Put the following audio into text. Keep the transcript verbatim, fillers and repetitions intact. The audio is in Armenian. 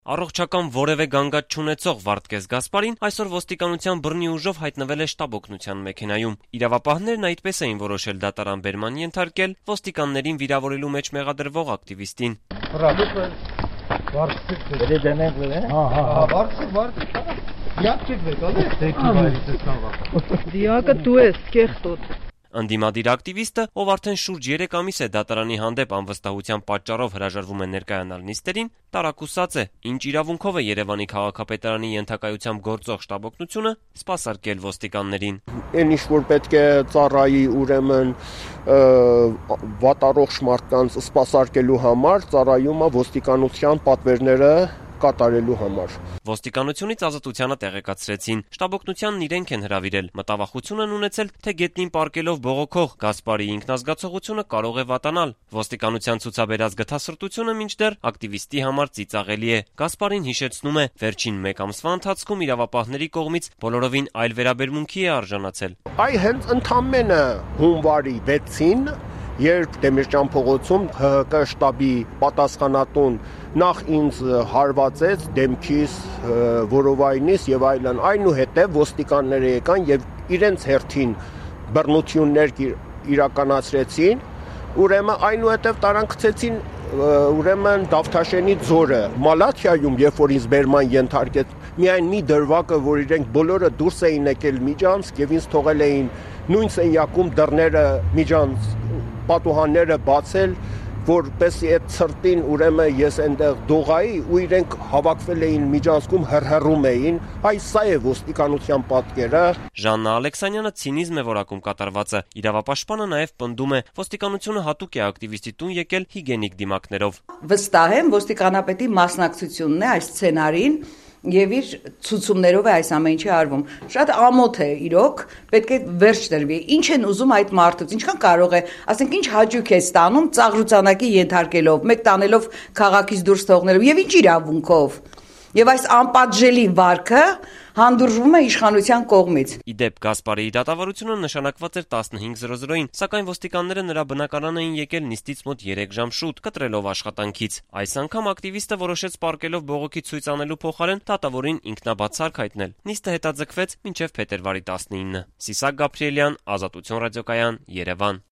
Առողջական որևէ գանգատ չունեցող Վարդգես Գասպարին այսօր ոստիկանության բռնի ուժով հայտնվել է շտաբ օգնության մեքենայում։ Իրավապահներն այդպես էին որոշել դատարան բերման ենթարկել ոստիկաններին վիրավորելու մեջ մեղադրվող ակտիվիստին։ Դիակը դու ես, կեղտոտ։ Ընդդիմադիր ակտիվիստը, ով արդեն շուրջ երեք ամիս է դատարանի հանդեպ անվստահության պատճառով հրաժարվում է ներկայանալ նիստերին, տարակուսած է, ինչ իրավունքով է Երևանի քաղաքապետարանի ենթակայությամբ գործող շտաբ օգնությունը սպասարկել ոստիկաններին։ Այն ինչ որ պետք է ծառայի ուրեմն վատառողջ մարդկանց սպասարկելու համար ծառայում է ոստիկանության պատվերները կատարելու համար։ Ոստիկանությունից ազատությանը տեղեկացրեցին։ Շտաբ օգնությանն իրենք են հրավիրել։ Մտավախություն են ունեցել, թե գետնին պառկելով բողոքող Գասպարի ինքնազգացողությունը կարող է վատանալ։ Ոստիկանության ցուցաբերած գթասրտությունը մինչդեռ ակտիվիստի համար ծիծաղելի է։ Գասպարին հիշեցնում է, վերջին մեկ ամսվա ընթացքում իրավապահների կողմից բոլորովին այլ վերաբերմունքի է արժանացել։ Այ հենց ընդամենը հունվարի վեցին, երբ Դեմիրճան փողոցում Հ Հ Կ շտաբի պատասխանատուն նախ ինձ հարվածեց դեմքիս, որովայնիս եւ այլն, այնուհետեւ ոստիկանները եկան եւ իրենց հերթին բռնություններ իրականացրեցին, ուրեմն այնուհետեւ տարան գցեցին ուրեմն Դավթաշենի ձորը Մալաթիայում, երբ որ ինձ բերման ենթարկեց, միայն մի դրվագը, որ իրենք բոլորը դուրս էին եկել միջանցք եւ ինձ թողել էին նույն սենյակում դռները միջանց պատուհանները բացել, որպեսզի այդ ցրտին ուրեմն ես այնտեղ դողայի ու իրենք հավաքվել էին միջանցքում հրհրում էին, այս սա է ոստիկանության պատկերը։ Ժաննա Ալեքսանյանը ցինիզմ է որակում կատարվածը։ Իրավապաշտպանը նաև պնդում է, ոստիկանությունը հատուկ է ակտիվիստի տուն եկել հիգենիկ դիմակներով։ Վստահ եմ, ոստիկանապետի մասնակցությունն է այս սցենարին եւ իր ցուցումներով է այս ամեն ինչի արվում։ Շատ ամոթ է իրոք, պետք է վերջ տրվի։ Ինչ են ուզում այդ մարդուց, ինչքան կարող է, ասենք ինչ հաճույք է ստանում ծաղրուցանակի ենթարկելով, մեկ տանելով քաղաքից դուրս թողնելով եւ ինչ իրավունքով։ Եվ այս անպատժելի վարքը հանդուրժվում է իշխանության կողմից։ Իդեպ Գասպարի դատավարությունը նշանակված էր տասնհինգ զրո զրոին, սակայն ոստիկանները նրա բնակարան էին եկել նիստից մոտ երեք ժամ շուտ, կտրելով աշխատանքից։ Այս անգամ ակտիվիստը որոշեց պառկելով բողոքի ցույց անելու փոխարեն դատավորին ինքնաբացարկ հայտնել։ Նիստը հետաձգվեց մինչև փետրվարի տասնինը։ Սիսակ Գաբրիելյան, Ազատություն ռադիոկայան, Երևան։